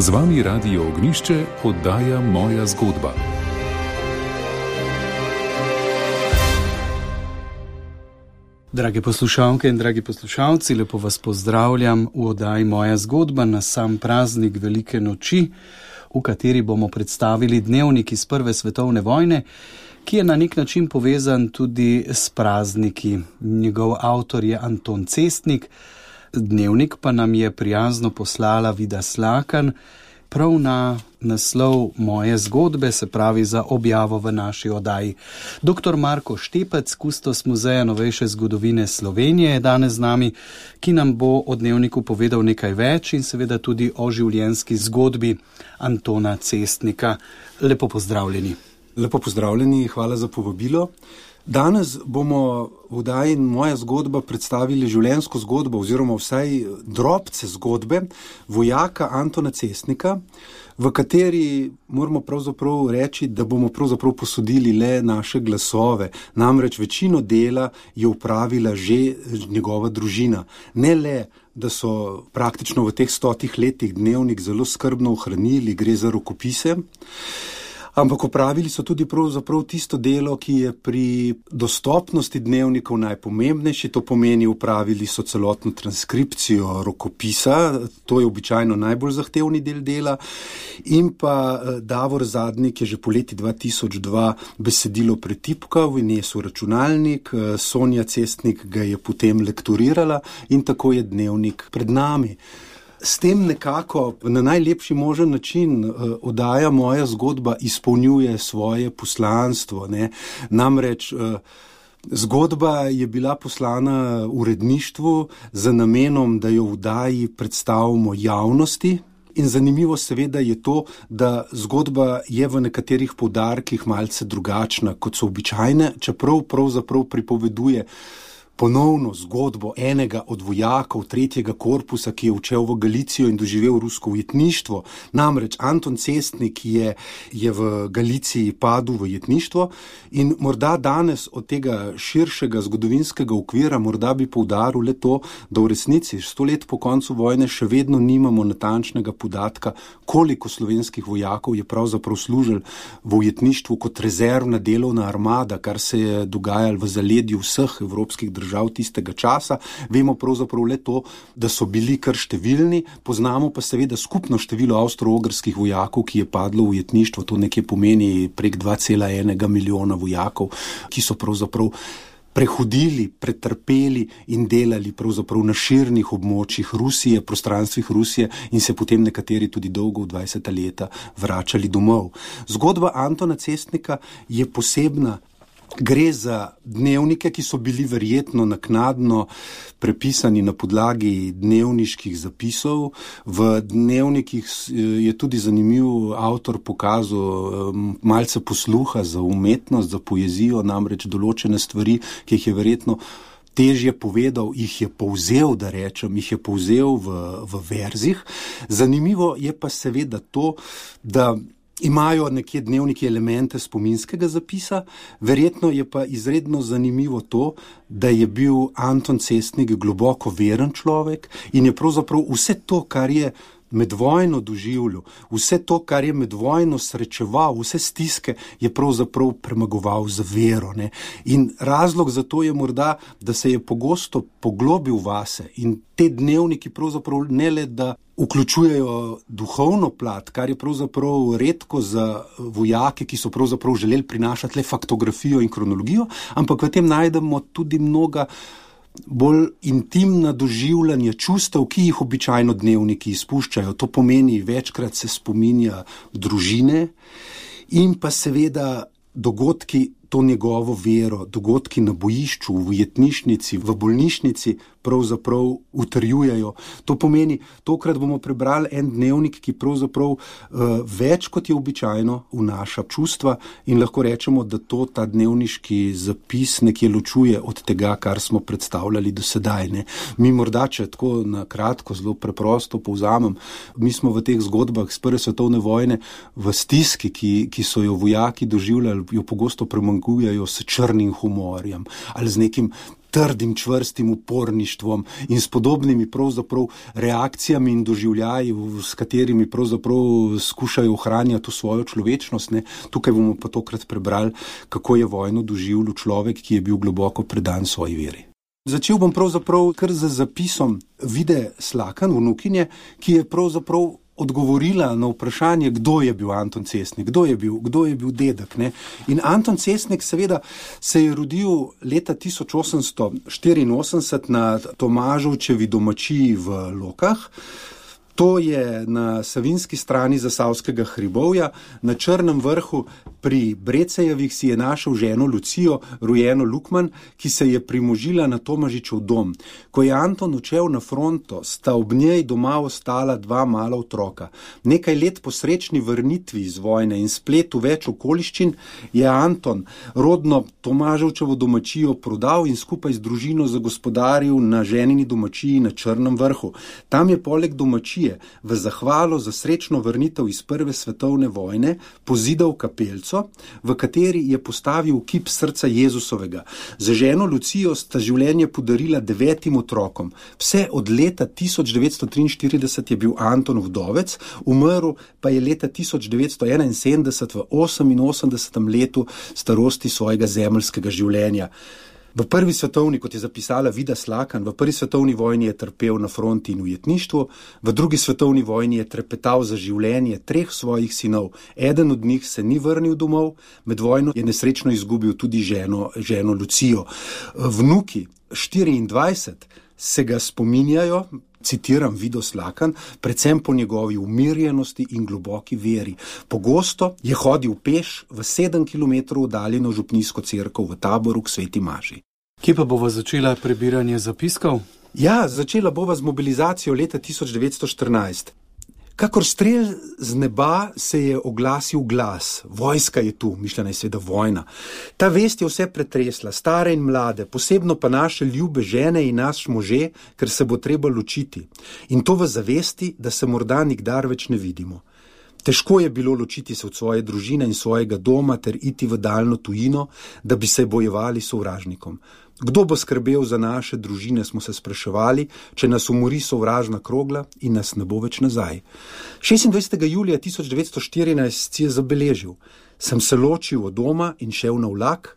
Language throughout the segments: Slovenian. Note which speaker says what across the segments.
Speaker 1: Z vami Radio Ognjišče, oddaja Moja zgodba.
Speaker 2: Drage poslušalke in dragi poslušalci, lepo vas pozdravljam v oddaji Moja zgodba na sam praznik Velike noči, v kateri bomo predstavili dnevnik iz Prve svetovne vojne, ki je na nek način povezan tudi s prazniki. Njegov avtor je Anton Cestnik, dnevnik pa nam je prijazno poslala Vida Slakan, prav na naslov Moje zgodbe, se pravi za objavo v naši oddaji. Dr. Marko Štepec, kustos Muzeja novejše zgodovine Slovenije, je danes z nami, ki nam bo o dnevniku povedal nekaj več in seveda tudi o življenjski zgodbi Antona Cestnika. Lepo pozdravljeni.
Speaker 3: Lepo pozdravljeni, hvala za povabilo. Danes bomo v oddaji Moja zgodba predstavili življenjsko zgodbo oziroma vsaj drobce zgodbe vojaka Antona Cestnika, v kateri moramo pravzaprav reči, da bomo pravzaprav posodili le naše glasove. Namreč večino dela je opravila že njegova družina. Ne le, da so praktično v teh 100 letih dnevnik zelo skrbno ohranili, gre za rokopise, ampak opravili so tudi pravzaprav tisto delo, ki je pri dostopnosti dnevnikov najpomembnejši. To pomeni, opravili so celotno transkripcijo rokopisa, to je običajno najbolj zahtevni del dela, in pa Davor Zadnik je že po leti 2002 besedilo pretipkal v nesel računalnik, Sonja Cestnik ga je potem lektorirala in tako je dnevnik pred nami. S tem nekako na najlepši možen način oddaja Moja zgodba izpolnjuje svoje poslanstvo. Namreč zgodba je bila poslana uredništvu z namenom, da jo v oddaji predstavimo javnosti. In zanimivo seveda je to, da zgodba je v nekaterih poudarkih malce drugačna, kot so običajne, čeprav pravzaprav pripoveduje ponovno zgodbo enega od vojakov 3. korpusa, ki je odšel v Galicijo in doživel rusko ujetništvo. Namreč Anton Cestnik je v Galiciji padel v ujetništvo in morda danes od tega širšega zgodovinskega okvira morda bi poudaril le to, da v resnici 100 let po koncu vojne še vedno nimamo natančnega podatka, koliko slovenskih vojakov je pravzaprav služil v ujetništvu kot rezervna delovna armada, kar se je dogajalo v zaledju vseh evropskih držav tistega časa. Vemo pravzaprav le to, da so bili kar številni, poznamo pa seveda skupno število avstro-ogrskih vojakov, ki je padlo v ujetništvo, to nekje pomeni prek 2,1 milijona vojakov, ki so pravzaprav prehodili, pretrpeli in delali pravzaprav na širnih območjih Rusije, prostranstvih Rusije in se potem nekateri tudi dolgo v 20. leta vračali domov. Zgodba Antona Cestnika je posebna. Gre za dnevnike, ki so bili verjetno naknadno prepisani na podlagi dnevniških zapisov. V dnevnikih je tudi zanimiv avtor pokazal malce posluha za umetnost, za poezijo, namreč določene stvari, ki jih je verjetno težje povedal, jih je povzel, da rečem, jih je povzel v verzih. Zanimivo je pa seveda to, da imajo nekje dnevniki elemente spominskega zapisa, verjetno je pa izredno zanimivo to, da je bil Anton Cestnik globoko veren človek in je pravzaprav vse to, kar je med vojno doživljal, vse to, kar je med vojno srečeval, vse stiske, je pravzaprav premagoval z vero. In razlog za to je morda, da se je pogosto poglobil vase in te dnevniki pravzaprav ne le, da vključujejo duhovno plat, kar je pravzaprav redko za vojake, ki so pravzaprav želeli prinašati le faktografijo in kronologijo, ampak v tem najdemo tudi mnoga bolj intimna doživljanja čustev, ki jih običajno dnevniki izpuščajo. To pomeni, večkrat se spominja družine in pa seveda dogodki, to njegovo vero, dogodki na bojišču, v ujetnišnici, v bolnišnici pravzaprav utrjujejo. To pomeni, tokrat bomo prebrali en dnevnik, ki pravzaprav več kot je običajno vnaša čustva in lahko rečemo, da to ta dnevniški zapis nekje ločuje od tega, kar smo predstavljali do sedaj. Mi morda, če tako na kratko, zelo preprosto povzamem, mi smo v teh zgodbah z Prve svetovne vojne v stiski, ki so jo vojaki doživljali, jo pogosto premanjkujejo s črnim humorjem ali z nekim trdim, čvrstim uporništvom in s podobnimi pravzaprav reakcijami in doživljaji, s katerimi pravzaprav skušajo ohranjati svojo človečnost. Ne. Tukaj bomo pa tokrat prebrali, kako je vojno doživljal človek, ki je bil globoko predan svoji veri. Začel bom pravzaprav kar z zapisom Vide Slakan, vnukinje, ki je pravzaprav odgovorila na vprašanje, kdo je bil Anton Cestnik, kdo je bil dedek. Ne? In Anton Cestnik seveda se je rodil leta 1884 na Tomažovčevi domačiji v Lokah. To je na savinski strani Zasavskega hribovja. Na Črnem vrhu pri Brecejevih si je našel ženo Lucijo, rojeno Lukman, ki se je primožila na Tomažičev dom. Ko je Anton odšel na fronto, sta ob njej doma ostala dva mala otroka. Nekaj let po srečni vrnitvi iz vojne in spletu več okoliščin je Anton rodno Tomaževčevo domačijo prodal in skupaj z družino zagospodaril na ženini domačiji na Črnem vrhu. Tam je poleg domačije v zahvalo za srečno vrnitev iz Prve svetovne vojne pozidal kapelco, v kateri je postavil kip srca Jezusovega. Za ženo Lucijo sta življenje podarila 9 otrokom. Vse od leta 1943 je bil Anton vdovec, umrl pa je leta 1971 v 88. letu starosti svojega zemeljskega življenja. V prvi svetovni, kot je zapisala Vida Slakan, v prvi svetovni vojni je trpel na fronti in ujetništvu, v drugi svetovni vojni je trepetal za življenje 3 svojih sinov. Eden od njih se ni vrnil domov, med vojno je nesrečno izgubil tudi ženo Lucijo. Vnuki 24 se ga spominjajo, citiram Vido Slakan, predvsem po njegovi umirjenosti in globoki veri. Pogosto je hodil peš v 7 km oddaljeno župnijsko cerkev v Taboru k Sveti Maši.
Speaker 2: Kje pa bova začela prebiranje zapiskov?
Speaker 3: Ja, začela bova z mobilizacijo leta 1914. Kakor strel z neba se je oglasil glas. Vojska je tu, mišljena je seveda vojna. Ta vest je vse pretresla, stare in mlade, posebno pa naše ljube žene in naš može, ker se bo treba ločiti. In to v zavesti, da se morda nikdar več ne vidimo. Težko je bilo ločiti se od svoje družine in svojega doma ter iti v daljno tujino, da bi se bojevali sovražnikom. Kdo bo skrbel za naše družine, smo se spraševali, če nas umori sovražna krogla in nas ne bo več nazaj. 26. julija 1914 si je zabeležil. Sem se ločil od doma in šel na vlak,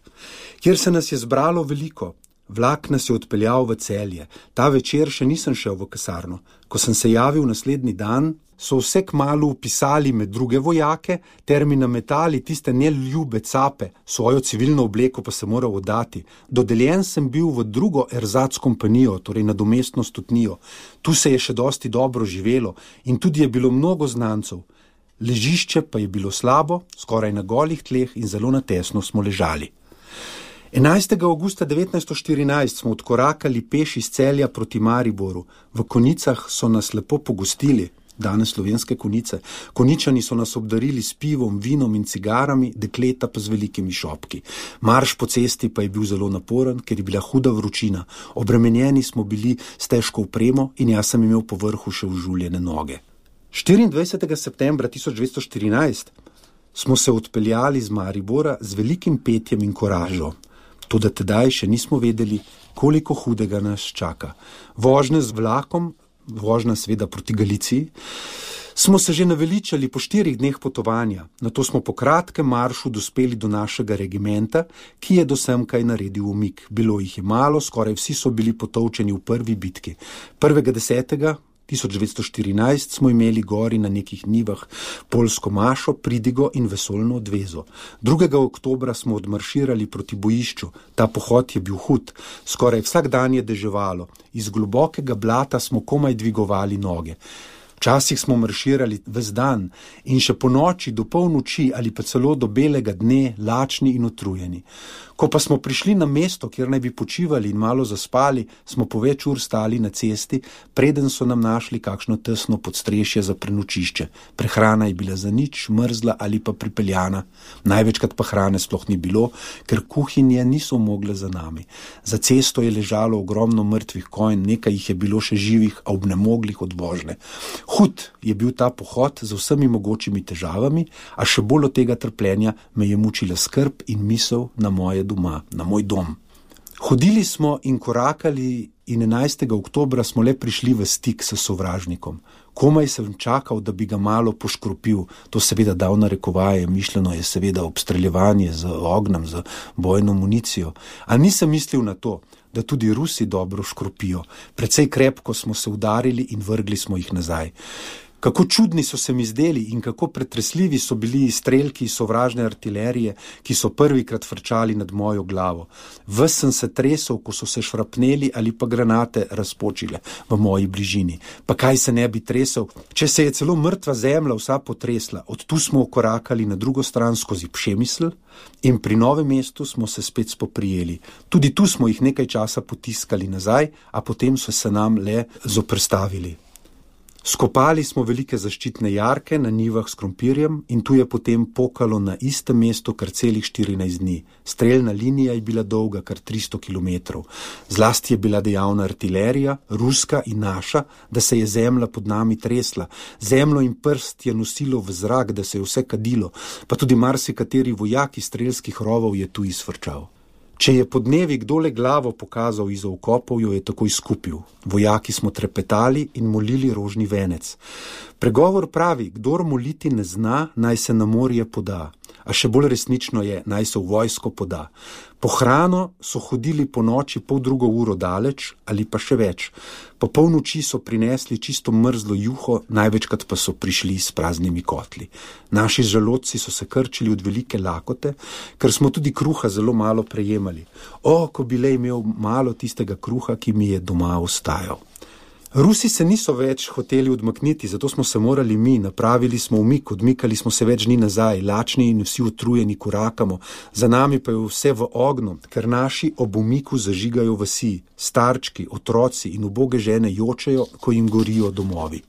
Speaker 3: kjer se nas je zbralo veliko. Vlak nas je odpeljal v Celje. Ta večer še nisem šel v kasarno. Ko sem se javil naslednji dan, so vse kmalu upisali med druge vojake ter mi nametali tiste neljube cape, svojo civilno obleko pa se moral oddati. Dodeljen sem bil v drugo erzac kompanijo, torej nadomestno stotnijo. Tu se je še dosti dobro živelo in tudi je bilo mnogo znancev. Ležišče pa je bilo slabo, skoraj na golih tleh in zelo natesno smo ležali. 11. avgusta 1914 smo odkorakali peš iz Celja proti Mariboru. V Konicah so nas lepo pogostili, danes Slovenske Konjice. Konjičani so nas obdarili s pivom, vinom in cigarami, dekleta pa z velikimi šopki. Marš po cesti pa je bil zelo naporen, ker je bila huda vročina. Obremenjeni smo bili s težko opremo in jaz sem imel po vrhu še užuljene noge. 24. septembra 1914 smo se odpeljali z Maribora z velikim petjem in koražo. Toda tedaj še nismo vedeli, koliko hudega nas čaka. Vožnje z vlakom, vožnja seveda proti Galiciji, smo se že naveličali po 4 dneh potovanja. Nato smo po kratkem maršu dospeli do našega regimenta, ki je do semkaj naredil umik. Bilo jih je malo, skoraj vsi so bili potolčeni v prvi bitki. 1.10. 1914 smo imeli gori na nekih njivah poljsko mašo, pridigo in vesoljno odvezo. 2. oktobra smo odmarširali proti bojišču. Ta pohod je bil hud. Skoraj vsak dan je deževalo. Iz globokega blata smo komaj dvigovali noge. Včasih smo marširali ves dan in še po noči do polnoči ali pa celo do belega dne, lačni in utrujeni. Ko pa smo prišli na mesto, kjer naj bi počivali in malo zaspali, smo po več ur stali na cesti, preden so nam našli kakšno tesno podstrešje za prenočišče. Prehrana je bila zanič, mrzla ali pa pripeljana. Največkrat pa hrane sploh ni bilo, ker kuhinje niso mogle za nami. Za cesto je ležalo ogromno mrtvih konj, nekaj jih je bilo še živih, a obnemoglih od vožnje. Hud je bil ta pohod z vsemi mogočimi težavami, a še bolj od tega trpljenja me je mučila skrb in misel na moje doma, na moj dom. Hodili smo in korakali in 11. oktobra smo le prišli v stik s sovražnikom. Komaj sem čakal, da bi ga malo poškropil. To seveda dal narekovaje, mišljeno je seveda obstreljevanje z ognjem, z bojno municijo. A nisem mislil na to, da tudi Rusi dobro škropijo. Precej krepko smo se udarili in vrgli smo jih nazaj. Kako čudni so se mi zdeli in kako pretresljivi so bili strelki sovražne artilerije, ki so prvikrat frčali nad mojo glavo. Ves sem se tresel, ko so se šrapneli ali pa granate razpočile v moji bližini. Pa kaj se ne bi tresel, če se je celo mrtva zemlja vsa potresla. Od tu smo korakali na drugo stran skozi Pšemisl in pri Novem mestu smo se spet spoprijeli. Tudi tu smo jih nekaj časa potiskali nazaj, a potem so se nam le zoperstavili. Skopali smo velike zaščitne jarke na njivah s krompirjem in tu je potem pokalo na istem mestu kar celih 14 dni. Streljna linija je bila dolga kar 300 kilometrov. Zlasti je bila dejavna artilerija, ruska in naša, da se je zemlja pod nami tresla. Zemljo in prst je nosilo v zrak, da se je vse kadilo, pa tudi marsikateri vojak iz strelskih rovov je tu izfrčal. Če je podnevi kdo le glavo pokazal izza okopov, jo je takoj skupil. Vojaki smo trepetali in molili rožni venec. Pregovor pravi, kdor moliti ne zna, naj se na morje poda. A še bolj resnično je, naj se v vojsko poda. Po hrano so hodili po noči 1:30 daleč ali pa še več. Po polnoči so prinesli čisto mrzlo juho, največkrat pa so prišli s praznimi kotli. Naši želodci so se krčili od velike lakote, ker smo tudi kruha zelo malo prejemali. Ko bi le imel malo tistega kruha, ki mi je doma ostajal. Rusi se niso več hoteli odmakniti, zato smo se morali mi, napravili smo umik, odmikali smo se več dni nazaj, lačni in vsi utrujeni korakamo, za nami pa je vse v ognju, ker naši ob umiku zažigajo vasi, starčki, otroci in uboge žene jočejo, ko jim gorijo domovi.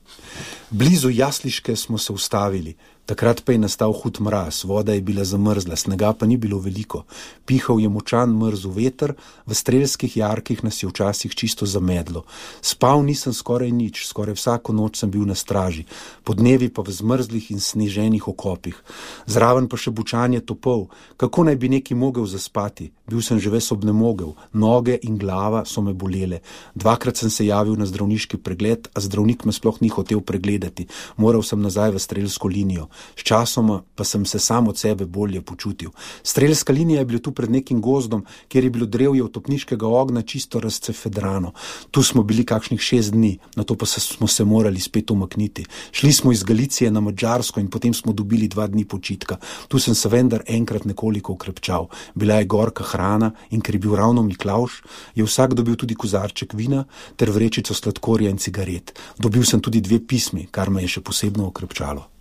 Speaker 3: Blizu Jasliške smo se ustavili. Takrat pa je nastal hud mraz, voda je bila zamrzla, snega pa ni bilo veliko. Pihal je močan mrzel veter, v strelskih jarkih nas je včasih čisto zamedlo. Spal nisem skoraj nič, skoraj vsako noč sem bil na straži, podnevi pa v zmrzlih in sneženih okopih. Zraven pa še bučanje topov, kako naj bi neki mogel zaspati? Bil sem že ves obnemogel, noge in glava so me bolele. Dvakrat sem se javil na zdravniški pregled, a zdravnik me sploh ni hotel pregledati. Moral sem nazaj v strelsko linijo. Sčasoma pa sem se sam od sebe bolje počutil. Strelska linija je bila tu pred nekim gozdom, kjer je bilo drevje od topniškega ognja čisto razcefedrano. Tu smo bili kakšnih 6 dni, nato pa smo se morali spet umakniti. Šli smo iz Galicije na Madžarsko in potem smo dobili 2 dni počitka. Tu sem se vendar enkrat nekoliko ukrepčal. Bila je gorka hrana in ker je bil ravno Miklavž, je vsak dobil tudi kozarček vina ter vrečico sladkorja in cigaret. Dobil sem tudi 2 pismi, kar me je še posebno ukrepčalo.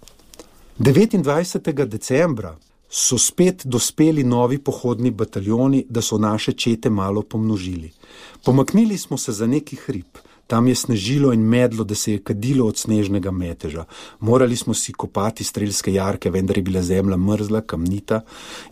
Speaker 3: 29. decembra so spet dospeli novi pohodni bataljoni, da so naše čete malo pomnožili. Pomaknili smo se za neki hrib. Tam je snežilo in medlo, da se je kadilo od snežnega meteža. Morali smo si kopati strelske jarke, vendar je bila zemlja mrzla, kamnita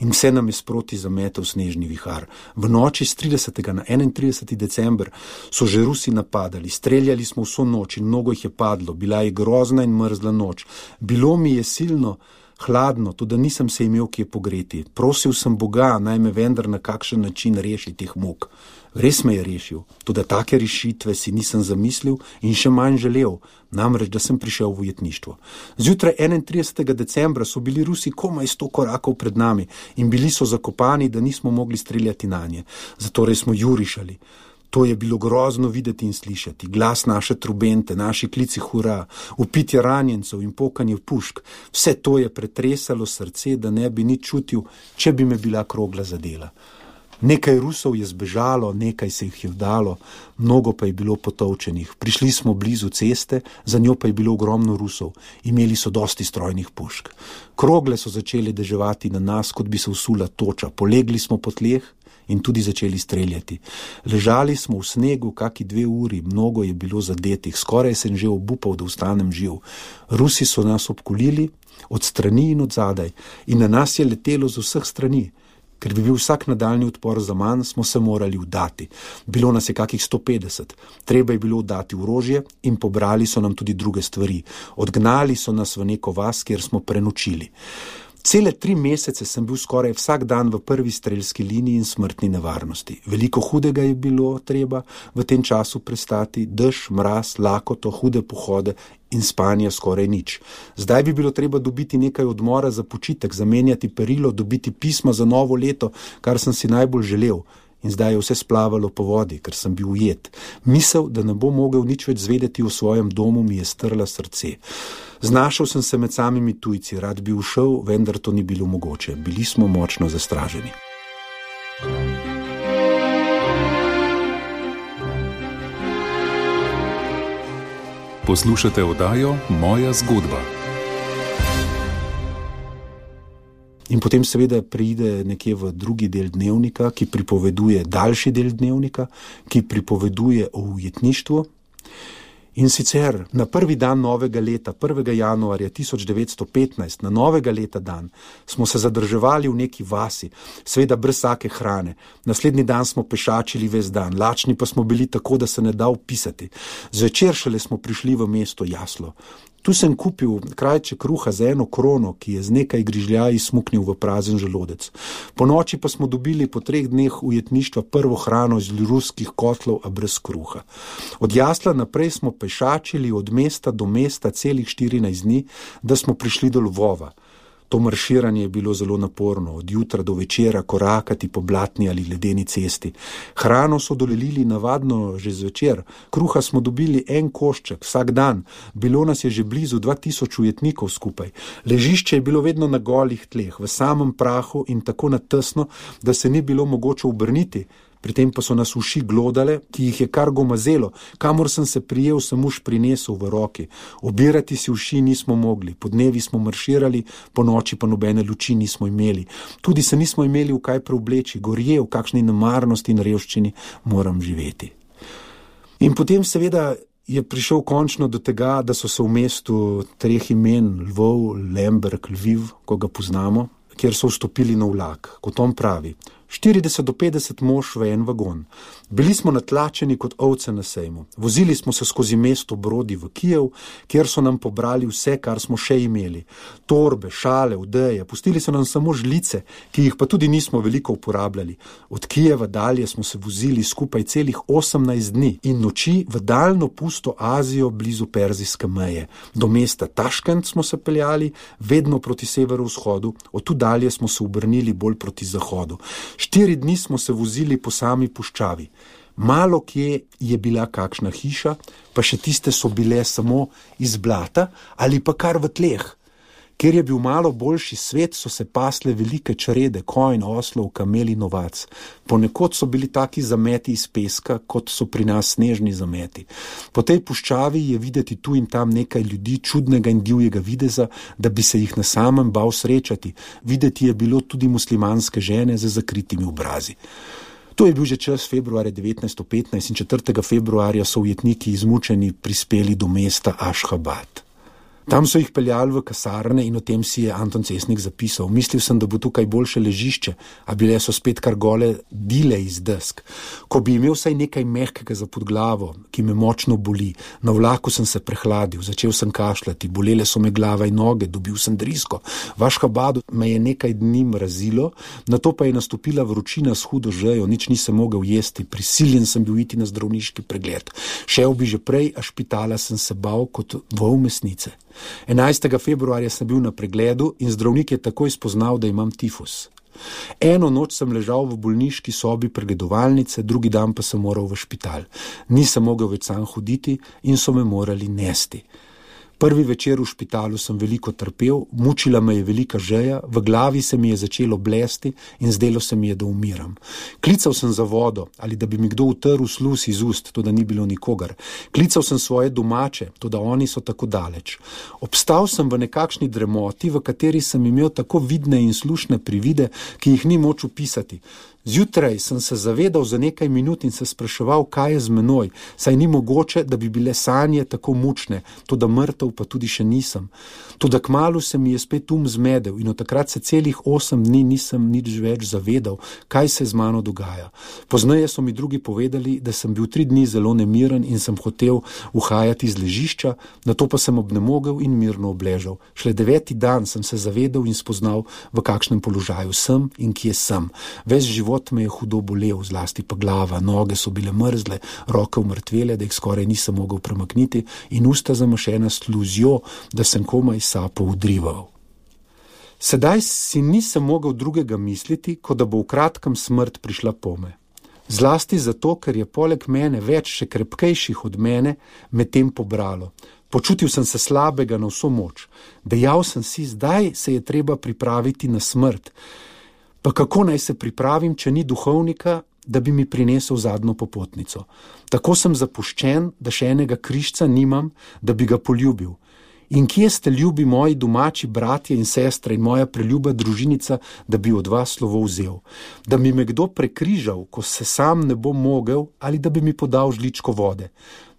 Speaker 3: in vse nam je sproti zametel snežni vihar. V noči z 30. na 31. december so že Rusi napadali. Streljali smo vso noč in mnogo jih je padlo. Bila je grozna in mrzla noč. Bilo mi je silno hladno, tudi nisem se imel kje pogreti. Prosil sem Boga, naj me vendar na kakšen način reši teh muk. Res me je rešil, tudi take rešitve si nisem zamislil in še manj želel, namreč, da sem prišel v ujetništvo. Zjutraj 31. decembra so bili Rusi komaj 100 korakov pred nami in bili so zakopani, da nismo mogli streljati nanje. Zatorej smo jurišali. To je bilo grozno videti in slišati. Glas naše trubente, naši klici hura, vpitje ranjencev in pokanje pušk. Vse to je pretresalo srce, da ne bi nič čutil, če bi me bila krogla zadela. Nekaj Rusov je zbežalo, nekaj se jih je vdalo, mnogo pa je bilo potolčenih. Prišli smo blizu ceste, za njo pa je bilo ogromno Rusov. Imeli so dosti strojnih pušk. Krogle so začeli deževati na nas, kot bi se usula toča. Polegli smo po tleh in tudi začeli streljati. Ležali smo v snegu kaki 2 uri, mnogo je bilo zadetih. Skoraj sem že obupal, da ostanem živ. Rusi so nas obkolili od strani in od zadaj in na nas je letelo z vseh strani. Ker bi bil vsak nadaljni odpor za manj, smo se morali vdati. Bilo nas je kakih 150. Treba je bilo vdati orožje in pobrali so nam tudi druge stvari. Odgnali so nas v neko vas, kjer smo prenočili. Cele 3 mesece sem bil skoraj vsak dan v prvi strelski liniji in smrtni nevarnosti. Veliko hudega je bilo treba v tem času prestati, dež, mraz, lakoto, hude pohode in spanje skoraj nič. Zdaj bi bilo treba dobiti nekaj odmora za počitek, zamenjati perilo, dobiti pismo za novo leto, kar sem si najbolj želel. In zdaj je vse splavalo po vodi, ker sem bil ujet. Misel, da ne bo mogel nič več zvedeti o svojem domu, mi je strla srce. Znašel sem se med samimi tujci, rad bi ušel, vendar to ni bilo mogoče. Bili smo močno zastraženi.
Speaker 1: Poslušate oddajo Moja zgodba.
Speaker 3: In potem seveda preide nekje v drugi del dnevnika, ki pripoveduje daljši del dnevnika, ki pripoveduje o ujetništvu. In sicer na prvi dan novega leta, 1. januarja 1915, na novega leta dan, smo se zadrževali v neki vasi, seveda brez vsake hrane. Naslednji dan smo pešačili ves dan, lačni pa smo bili tako, da se ne da opisati. Zvečer šele smo prišli v mesto Jaslo. Tu sem kupil krajček kruha za 1 krono, ki je z nekaj grižljaji smuknil v prazen želodec. Po noči pa smo dobili po 3 dneh ujetništva prvo hrano iz ruskih kotlov, a brez kruha. Od Jasla naprej smo pešačili od mesta do mesta celih 14 dni, da smo prišli do Lvova. To marširanje je bilo zelo naporno, od jutra do večera korakati po blatni ali ledeni cesti. Hrano so dolelili navadno že zvečer, kruha smo dobili 1 košček vsak dan, bilo nas je že blizu 2000 ujetnikov skupaj. Ležišče je bilo vedno na golih tleh, v samem prahu in tako natesno, da se ni bilo mogoče obrniti. Pri tem pa so nas uši glodale, ki jih je kar gomazelo, kamor sem se prijel, sem uš prinesel v roki. Obirati si uši nismo mogli, po dnevi smo marširali, po noči pa nobene luči nismo imeli. Tudi se nismo imeli v kaj preobleči, gorje, v kakšni nemarnosti in revščini moram živeti. In potem seveda je prišel končno do tega, da so se v mestu 3 imen, Lvov, Lemberg, Lviv, ko ga poznamo, kjer so vstopili na vlak, kot on pravi. 40 do 50 mož v 1 vagon. Bili smo natlačeni kot ovce na sejmu. Vozili smo se skozi mesto Brodi v Kijev, kjer so nam pobrali vse, kar smo še imeli. Torbe, šale, odeje, pustili so nam samo žlice, ki jih pa tudi nismo veliko uporabljali. Od Kijeva dalje smo se vozili skupaj celih 18 dni in noči v daljno pusto Azijo blizu perzijske meje. Do mesta Taškent smo se peljali, vedno proti severovzhodu, od tu dalje smo se obrnili bolj proti zahodu. 4 dni smo se vozili po sami puščavi. Malo kje je bila kakšna hiša, pa še tiste so bile samo iz blata ali pa kar v tleh. Ker je bil malo boljši svet, so se pasle velike črede, konj, oslov, kameli, novac. Ponekod so bili taki zameti iz peska, kot so pri nas snežni zameti. Po tej puščavi je videti tu in tam nekaj ljudi čudnega in divjega videza, da bi se jih na samem bal srečati. Videti je bilo tudi muslimanske žene z zakritimi obrazi. To je bil že čas februarja 1915 in 4. februarja so ujetniki izmučeni prispeli do mesta Ašhabad. Tam so jih peljali v kasarne in o tem si je Anton Cesnik zapisal. Mislil sem, da bo tukaj boljše ležišče, a bile so spet kar gole dile iz desk. Ko bi imel vsaj nekaj mehkega za pod glavo, ki me močno boli, na vlaku sem se prehladil, začel sem kašljati, bolele so me glava in noge, dobil sem drisko. V Ašhabadu me je nekaj dni mrazilo, nato pa je nastopila vročina s hudo žejo, nič nisem mogel jesti, prisiljen sem bil iti na zdravniški pregled. Šel bi že prej, a špitala sem se bal kot vol mesnice. 11. februarja sem bil na pregledu in zdravnik je takoj spoznal, da imam tifus. 1 noč sem ležal v bolniški sobi pregledovalnice, drugi dan pa sem moral v špital. Nisem mogel več sam hoditi in so me morali nesti. Prvi večer v špitalu sem veliko trpel, mučila me je velika žeja, v glavi se mi je začelo blesti in zdelo se mi je, da umiram. Klical sem za vodo ali da bi mi kdo utrl sluz iz ust, to da ni bilo nikogar. Klical sem svoje domače, to da oni so tako daleč. Obstal sem v nekakšni dremoti, v kateri sem imel tako vidne in slušne privide, ki jih ni moč opisati. Zjutraj sem se zavedal za nekaj minut in se spraševal, kaj je z menoj, saj ni mogoče, da bi bile sanje tako mučne, toda mrtev pa tudi še nisem. Toda kmalu se mi je spet zmedel in od takrat se celih 8 dni nisem nič več zavedal, kaj se z mano dogaja. Pozneje so mi drugi povedali, da sem bil 3 dni zelo nemiren in sem hotel uhajati iz ležišča, nato pa sem obnemogel in mirno obležal. Šele 9. dan sem se zavedal in spoznal, v kakšnem položaju sem in kje sem. Ves život me je hudo bolel, zlasti pa glava, noge so bile mrzle, roke umrtvele, da jih skoraj nisem mogel premakniti in usta zamašena s sluzjo, da sem komaj sapo udrival. Sedaj si nisem mogel drugega misliti, kot da bo v kratkem smrt prišla pome. Zlasti zato, ker je poleg mene več še krepkejših od mene medtem pobralo. Počutil sem se slabega na vso moč. Dejal sem si, zdaj se je treba pripraviti na smrt. Pa kako naj se pripravim, če ni duhovnika, da bi mi prinesel zadnjo popotnico? Tako sem zapuščen, da še enega križca nimam, da bi ga poljubil. In kje ste, ljubi moji domači bratje in sestre in moja preljuba družinica, da bi od vas slovo vzel? Da bi me kdo prekrižal, ko se sam ne bom mogel, ali da bi mi podal žličko vode?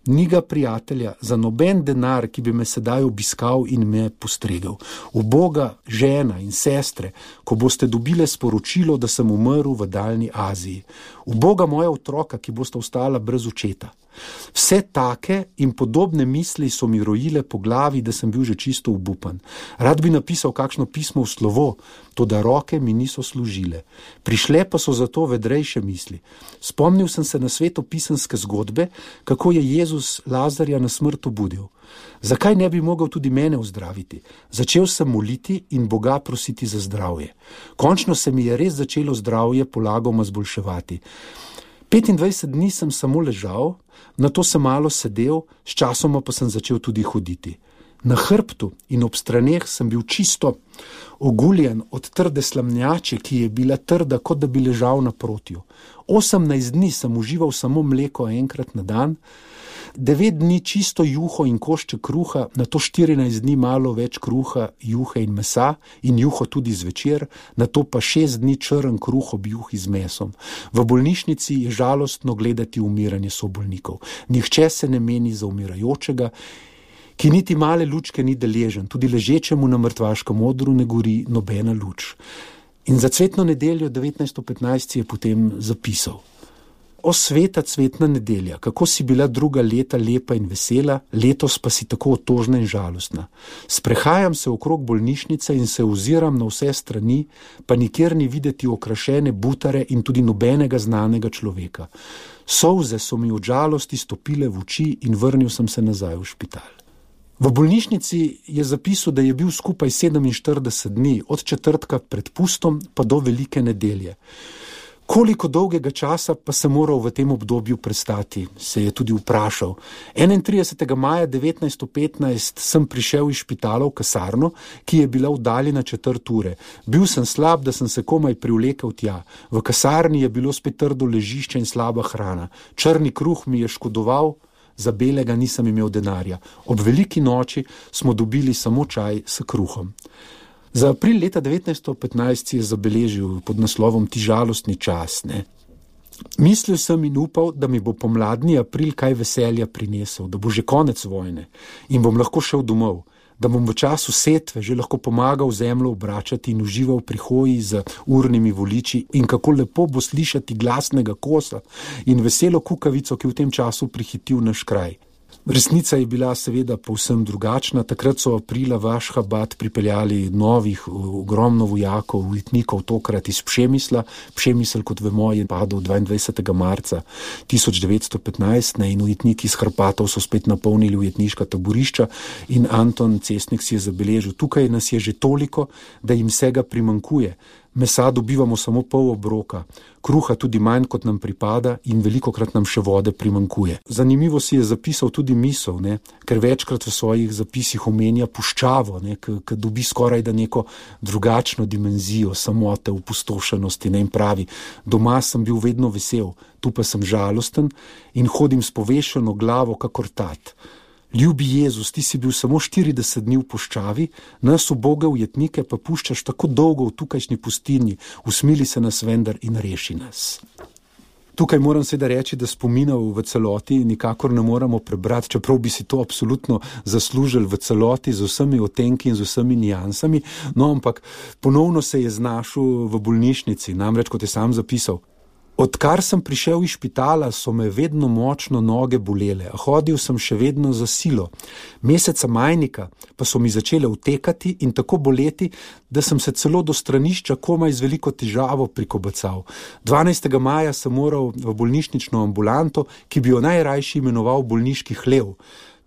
Speaker 3: Ni ga prijatelja za noben denar, ki bi me sedaj obiskal in me postregel. Uboga žena in sestre, ko boste dobile sporočilo, da sem umrl v daljni Aziji. Uboga moja otroka, ki boste ostala brez očeta. Vse take in podobne misli so mi rojile po glavi, da sem bil že čisto obupan. Rad bi napisal kakšno pismo v slovo, toda roke mi niso služile. Prišle pa so zato vedrejše misli. Spomnil sem se na svetopisanske zgodbe, kako je Jezus Lazarja na smrt obudil. Zakaj ne bi mogel tudi mene ozdraviti? Začel sem moliti in Boga prositi za zdravje. Končno se mi je res začelo zdravje polagoma zboljševati. 25 dni sem samo ležal, nato sem malo sedel, sčasoma pa sem začel tudi hoditi. Na hrbtu in ob straneh sem bil čisto oguljen od trde slamnjače, ki je bila trda, kot da bi ležal naprotju. 18 dni sem užival samo mleko enkrat na dan, 9 dni čisto juho in košček kruha, nato 14 dni malo več kruha, juhe in mesa in juho tudi zvečer, nato pa 6 dni črn kruh ob juhi z mesom. V bolnišnici je žalostno gledati umiranje sobolnikov. Nihče se ne meni za umirajočega, ki niti male lučke ni deležen, tudi ležečemu na mrtvaškem odru ne gori nobena luč. In za cvetno nedeljo 1915 je potem zapisal: O sveta cvetna nedelja, kako si bila druga leta lepa in vesela, letos pa si tako otožna in žalostna. Sprehajam se okrog bolnišnice in se oziram na vse strani, pa nikjer ni videti okrašene butare in tudi nobenega znanega človeka. Solze so mi od žalosti stopile v oči in vrnil sem se nazaj v špital. V bolnišnici je zapisal, da je bil skupaj 47 dni, od četrtka pred pustom pa do velike nedelje. Koliko dolgega časa pa se moral v tem obdobju prestati, se je tudi vprašal. 31. maja 1915 sem prišel iz špitala v kasarno, ki je bila oddaljena 4 ure. Bil sem slab, da sem se komaj privlekel tja. V kasarni je bilo spet trdo ležišče in slaba hrana. Črni kruh mi je škodoval, za belega nisem imel denarja. Ob veliki noči smo dobili samo čaj s kruhom. Za april leta 1915 je zabeležil pod naslovom Ti žalostni čas. Mislil sem in upal, da mi bo pomladni april kaj veselja prinesel, da bo že konec vojne in bom lahko šel domov, da bom v času setve že lahko pomagal zemljo obračati in užival pri hoji z urnimi voliči in kako lepo bo slišati glasnega kosa in veselo kukavico, ki v tem času prihitil naš kraj. Resnica je bila seveda povsem drugačna. Takrat so aprila v Ašhabad pripeljali novih, ogromno vojakov, ujetnikov, tokrat iz Pšemisla. Pšemisl, kot vemo, je padel 22. marca 1915 in ujetniki iz Hrpatov so spet napolnili ujetniška taborišča in Anton Cestnik si je zabeležil: tukaj nas je že toliko, da jim vsega primankuje. Mesa dobivamo samo pol obroka, kruha tudi manj, kot nam pripada in velikokrat nam še vode primankuje. Zanimivo si je zapisal tudi misel, ker večkrat v svojih zapisih omenja puščavo, ki dobi skoraj da neko drugačno dimenzijo samote, opustošenosti, in pravi: doma sem bil vedno vesel, tu pa sem žalosten in hodim s povešeno glavo kakor tat. Ljubi Jezus, ti si bil samo 40 dni v puščavi, nas uboge ujetnike pa puščaš tako dolgo v tukajšnji pustinji, usmili se nas vendar in reši nas. Tukaj moram seveda reči, da spominov v celoti nikakor ne moramo prebrati, čeprav bi si to absolutno zaslužili v celoti z vsemi otenki in z vsemi nijansami, no ampak ponovno se je znašel v bolnišnici, namreč kot je sam zapisal. Odkar sem prišel iz špitala, so me vedno močno noge bolele, a hodil sem še vedno za silo. Meseca majnika pa so mi začele utekati in tako boleti, da sem se celo do stranišča komaj z veliko težavo prikobacal. 12. maja sem moral v bolnišnično ambulanto, ki bi jo najrajši imenoval bolniški hlev.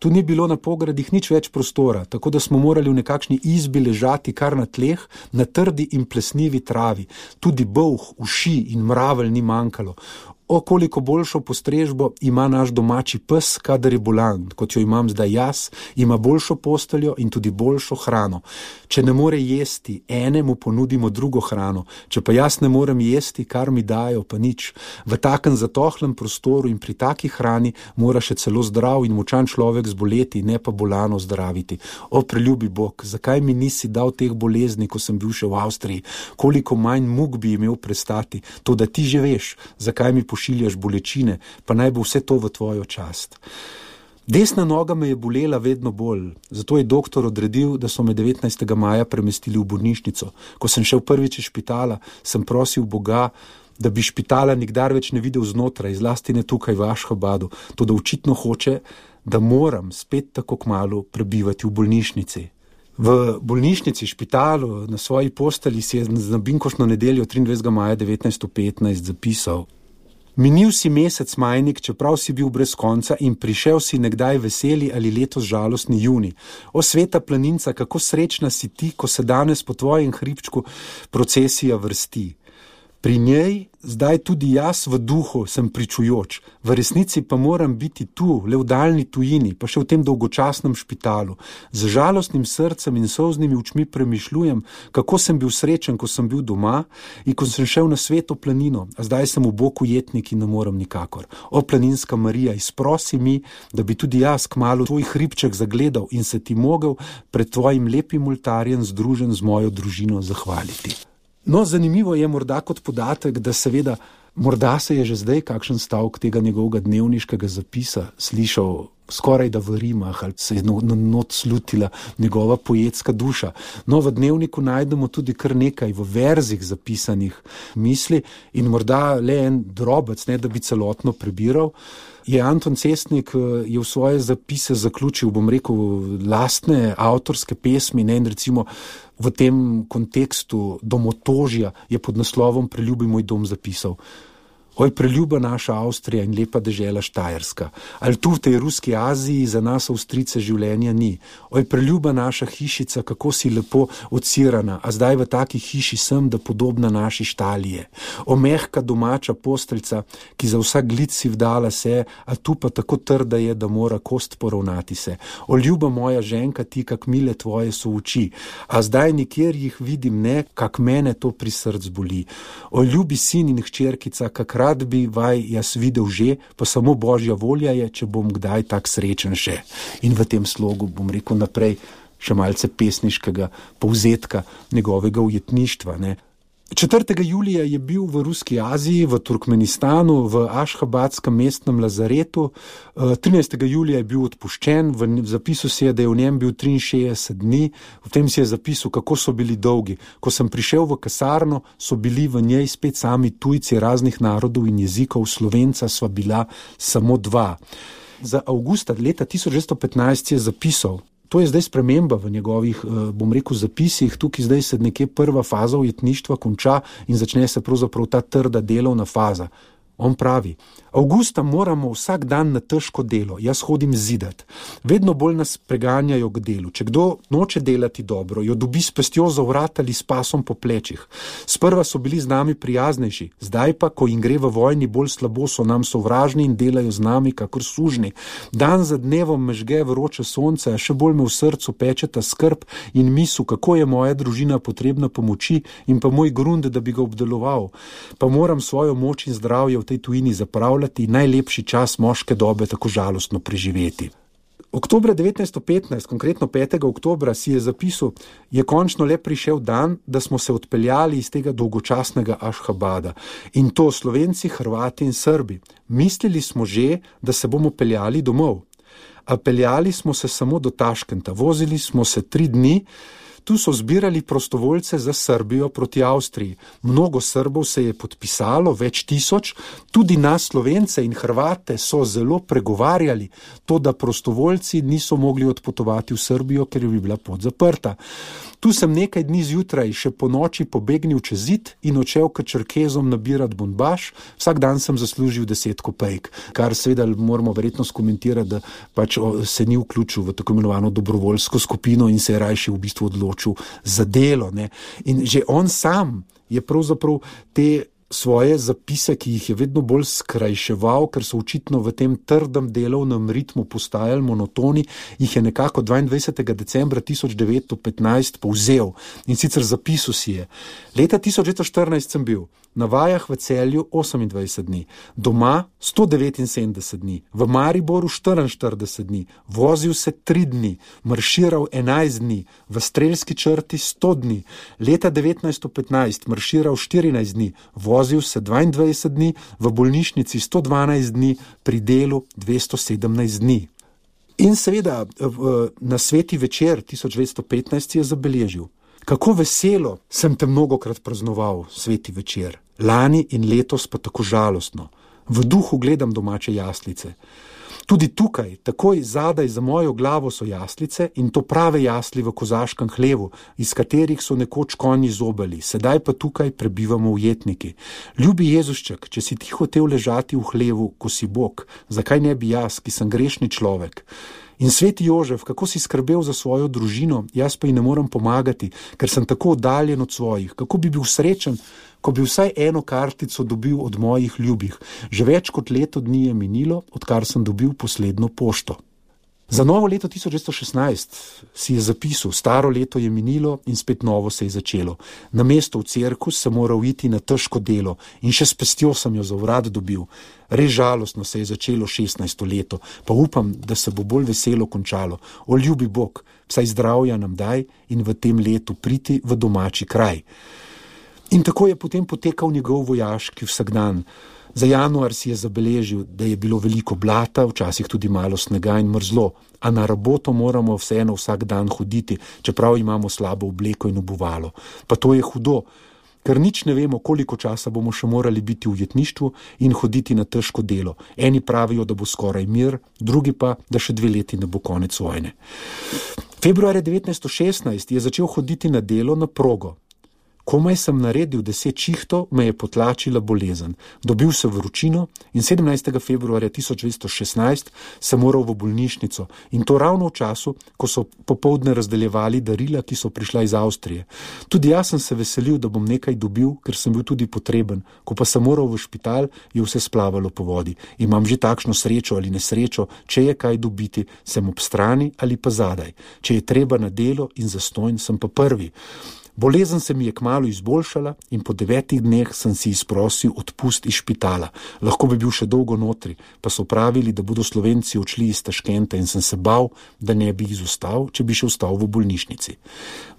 Speaker 3: Tu ni bilo na pogradih nič več prostora, tako da smo morali v nekakšni izbi ležati kar na tleh, na trdi in plesnivi travi. Tudi bolh, uši in mravelj ni manjkalo. O, koliko boljšo postrežbo ima naš domači pes, kadar je bolan, kot jo imam zdaj jaz, ima boljšo posteljo in tudi boljšo hrano. Če ne more jesti, enemu ponudimo drugo hrano, če pa jaz ne morem jesti, kar mi dajo, pa nič. V takem zatohlem prostoru in pri taki hrani mora še celo zdrav in močan človek zboleti, ne pa bolano zdraviti. O, preljubi Bog, zakaj mi nisi dal teh bolezni, ko sem bil še v Avstriji? Koliko manj muk bi imel prestati? To, da ti že veš, zakaj mi pošiljaš bolečine, pa naj bo vse to v tvojo čast. Desna noga me je bolela vedno bolj, zato je doktor odredil, da so me 19. maja premestili v bolnišnico. Ko sem šel prvič iz špitala, sem prosil Boga, da bi špitala nikdar več ne videl znotraj, zlasti ne tukaj v Ašhabadu, to da očitno hoče, da moram spet tako kmalu prebivati v bolnišnici. V bolnišnici, špitalu, na svoji posteli si je na binkošno nedeljo 23. maja 1915 zapisal: Minil si mesec majnik, čeprav si bil brez konca in prišel si nekdaj veseli ali letos žalostni juni. O sveta planinca, kako srečna si ti, ko se danes po tvojem hribčku procesija vrsti. Pri njej zdaj tudi jaz v duhu sem pričujoč, v resnici pa moram biti tu, le v daljni tujini, pa še v tem dolgočasnem špitalu. Z žalostnim srcem in solznimi očmi premišljujem, kako sem bil srečen, ko sem bil doma in ko sem šel na sveto planino, a zdaj sem v boku jetnik in ne morem nikakor. O, planinska Marija, izprosi mi, da bi tudi jaz kmalu tvoj hribček zagledal in se ti mogel pred tvojim lepim oltarjem združen z mojo družino zahvaliti. No, zanimivo je morda kot podatek, da seveda, morda se je že zdaj kakšen stavek tega njegovega dnevniškega zapisa slišal skoraj da v rimah, ali se je not slutila njegova poetska duša. No, v dnevniku najdemo tudi kar nekaj v verzih zapisanih misli in morda le en drobec, ne da bi celotno prebiral. Je Anton Cestnik je v svoje zapise zaključil, bom rekel, lastne avtorske pesmi, ne, in recimo v tem kontekstu domotožja je pod naslovom Preljubi moj dom zapisal: Oj, preljuba naša Avstrija in lepa dežela Štajerska, ali tu v tej ruski Aziji za nas Avstrijce življenja ni. Oj, preljuba naša hišica, kako si lepo odsirana, a zdaj v taki hiši sem, da podobna naši Štalije. O, mehka domača posteljca, ki za vsak glic si vdala se, a tu pa tako trda je, da mora kost poravnati se. O, ljuba moja ženka, ti, kak mile tvoje so oči, a zdaj nikjer jih vidim ne, kak mene to pri src boli. O, ljubi sin in hčerkica, kak rad bi vaj jaz videl že, pa samo Božja volja je, če bom kdaj tak srečen še. In v tem slogu bom rekel naprej še malce pesniškega povzetka njegovega ujetništva, ne. 4. julija je bil v ruski Aziji, v Turkmenistanu, v Ašhabadskem mestnem lazaretu. 13. julija je bil odpuščen, v zapisu si je, da je v njem bil 63 dni, v tem si je zapisal, kako so bili dolgi. Ko sem prišel v kasarno, so bili v njej spet sami tujci raznih narodov in jezikov, Slovenca sva bila samo 2. Za avgusta leta 1915 je zapisal: To je zdaj sprememba v njegovih, bom rekel, zapisih, tukaj zdaj se nekje prva faza ujetništva konča in začne se pravzaprav ta trda delovna faza. On pravi: Avgusta moramo vsak dan na težko delo, jaz hodim zidat. Vedno bolj nas preganjajo k delu. Če kdo noče delati dobro, jo dobi s pestjo za vrat ali s pasom po plečih. Sprva so bili z nami prijaznejši, zdaj pa, ko jim gre v vojni bolj slabo, so nam sovražni in delajo z nami kakor sužni. Dan za dnevom me žge vroče sonce, a še bolj me v srcu pečeta skrb in misel, kako je moja družina potrebna pomoči in pa moj grunt, da bi ga obdeloval. Pa moram svojo moč in zdravje v tej tujini zapravljati, najlepši čas moške dobe tako žalostno preživeti. Oktobra 1915, konkretno 5. oktobra, si je zapisal, je končno le prišel dan, da smo se odpeljali iz tega dolgočasnega Ašhabada. In to Slovenci, Hrvati in Srbi. Mislili smo že, da se bomo peljali domov. A peljali smo se samo do Taškenta. Vozili smo se 3 dni. Tu so zbirali prostovoljce za Srbijo proti Avstriji. Mnogo Srbov se je podpisalo, več tisoč, tudi nas Slovence in Hrvate so zelo pregovarjali to, da prostovoljci niso mogli odpotovati v Srbijo, ker bi bila pot zaprta. Tu sem nekaj dni zjutraj še po noči pobegnil čez zid in odšel k Čerkezom nabirat bombaž. Vsak dan sem zaslužil 10 kopejk, kar seveda moramo verjetno skomentirati, da pač se ni vključil v tako imenovano dobrovoljsko skupino in se je rajši v bistvu odločil za delo. Ne. In že on sam je pravzaprav te svoje zapise, ki jih je vedno bolj skrajševal, ker so očitno v tem trdem delovnem ritmu postajali monotoni, jih je nekako 22. decembra 1915 povzel in sicer zapisal si je. Leta 1914 sem bil na vajah v Celju 28 dni, doma 179 dni, v Mariboru 44 dni, vozil se 3 dni, marširal 11 dni, v Strelski črti 100 dni, leta 1915 marširal 14 dni, vozil se 22 dni, v bolnišnici 112 dni, pri delu 217 dni. In seveda na sveti večer 1915 je zabeležil. Kako veselo sem te mnogokrat praznoval, sveti večer. Lani in letos pa tako žalostno. V duhu gledam domače jaslice. Tudi tukaj, takoj zadaj za mojo glavo so jaslice in to prave jasli v kozaškem hlevu, iz katerih so nekoč konji zobali, sedaj pa tukaj prebivamo ujetniki. Ljubi Jezušček, če si ti hotel ležati v hlevu, ko si Bog, zakaj ne bi jaz, ki sem grešni človek? In sveti Jožef, kako si skrbel za svojo družino, jaz pa ji ne morem pomagati, ker sem tako oddaljen od svojih. Kako bi bil srečen, ko bi vsaj eno kartico dobil od mojih ljubih. Že več kot leto dni je minilo, odkar sem dobil poslednjo pošto. Za novo leto 1916 si je zapisal, staro leto je minilo in spet novo se je začelo. Namesto v cirkus sem moral iti na težko delo in še s pestjo sem jo za urad dobil. Res žalostno se je začelo 16. leto, pa upam, da se bo bolj veselo končalo. O ljubi Bog, vsaj zdravja nam daj in v tem letu priti v domači kraj. In tako je potem potekal njegov vojaški vsakdan. Za januar si je zabeležil, da je bilo veliko blata, včasih tudi malo snega in mrzlo, a na raboto moramo vseeno vsak dan hoditi, čeprav imamo slabo obleko in obuvalo. Pa to je hudo, ker nič ne vemo, koliko časa bomo še morali biti v ujetništvu in hoditi na težko delo. Eni pravijo, da bo skoraj mir, drugi pa, da še 2 leti ne bo konec vojne. Februarja 1916 je začel hoditi na delo na progo. Komaj sem naredil 10 šihtov, me je potlačila bolezen. Dobil sem vročino in 17. februarja 1916 sem moral v bolnišnico in to ravno v času, ko so popoldne razdeljevali darila, ki so prišla iz Avstrije. Tudi jaz sem se veselil, da bom nekaj dobil, ker sem bil tudi potreben. Ko pa sem moral v špital, je vse splavalo po vodi. Imam že takšno srečo ali nesrečo, če je kaj dobiti, sem ob strani ali pa zadaj. Če je treba na delo in zastonj, sem pa prvi. Bolezen se mi je kmalu izboljšala in po 9 dneh sem si izprosil odpust iz špitala. Lahko bi bil še dolgo notri, pa so pravili, da bodo Slovenci odšli iz Taškenta in sem se bal, da ne bi izostal, če bi še ostal v bolnišnici.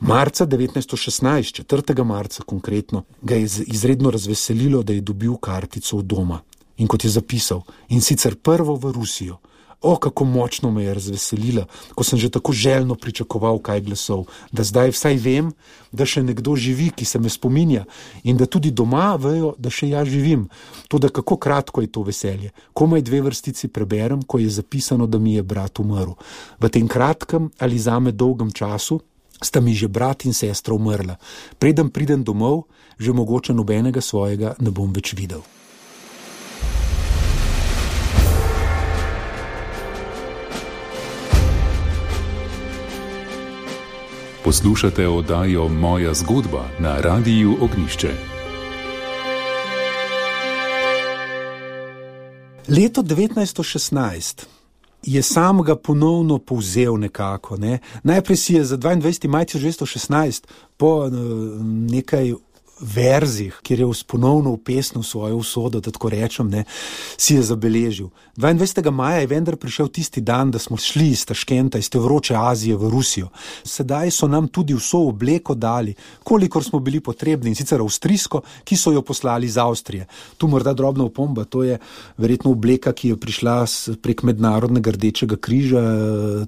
Speaker 3: Marca 1916, 4. marca konkretno, ga je izredno razveselilo, da je dobil kartico od doma. In kot je zapisal, in sicer prvo v Rusijo. O, kako močno me je razveselila, ko sem že tako željno pričakoval kaj glasov, da zdaj vsaj vem, da še nekdo živi, ki se me spominja in da tudi doma vejo, da še jaz živim. Toda kako kratko je to veselje. Komaj 2 vrstici preberem, ko je zapisano, da mi je brat umrl. V tem kratkem ali zame dolgem času sta mi že brat in sestra umrla. Preden pridem domov, že mogoče nobenega svojega ne bom več videl.
Speaker 1: Poslušate oddajo Moja zgodba na Radiu Ognjišče.
Speaker 3: Leto 1916 je sam ga ponovno povzel nekako. Ne? Najprej si je za 22. maj 1916 po nekaj verzih, kjer je ponovno upesnil svojo usodo, da tako rečem, si je zabeležil. 22. maja je vendar prišel tisti dan, da smo šli iz Taškenta, iz te vroče Azije v Rusijo. Sedaj so nam tudi vso obleko dali, kolikor smo bili potrebni, in sicer avstrijsko, ki so jo poslali iz Avstrije. Tu morda drobna opomba, to je verjetno obleka, ki je prišla prek Mednarodnega Rdečega križa,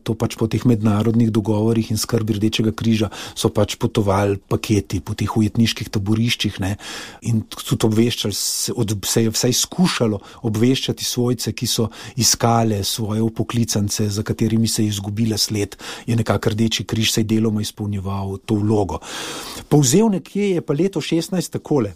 Speaker 3: to pač po teh mednarodnih dogovorih in skrbi Rdečega križa so pač potovali paketi po teh ujetniških taboriščih, in tudi obveščali, se je vsaj skušalo obveščati svojce, ki so iskale svoje upoklicance, za katerimi se je izgubila sled, je nekako Rdeči križ saj deloma izpolnjeval to vlogo. Povzel nekje je pa leto 16 takole.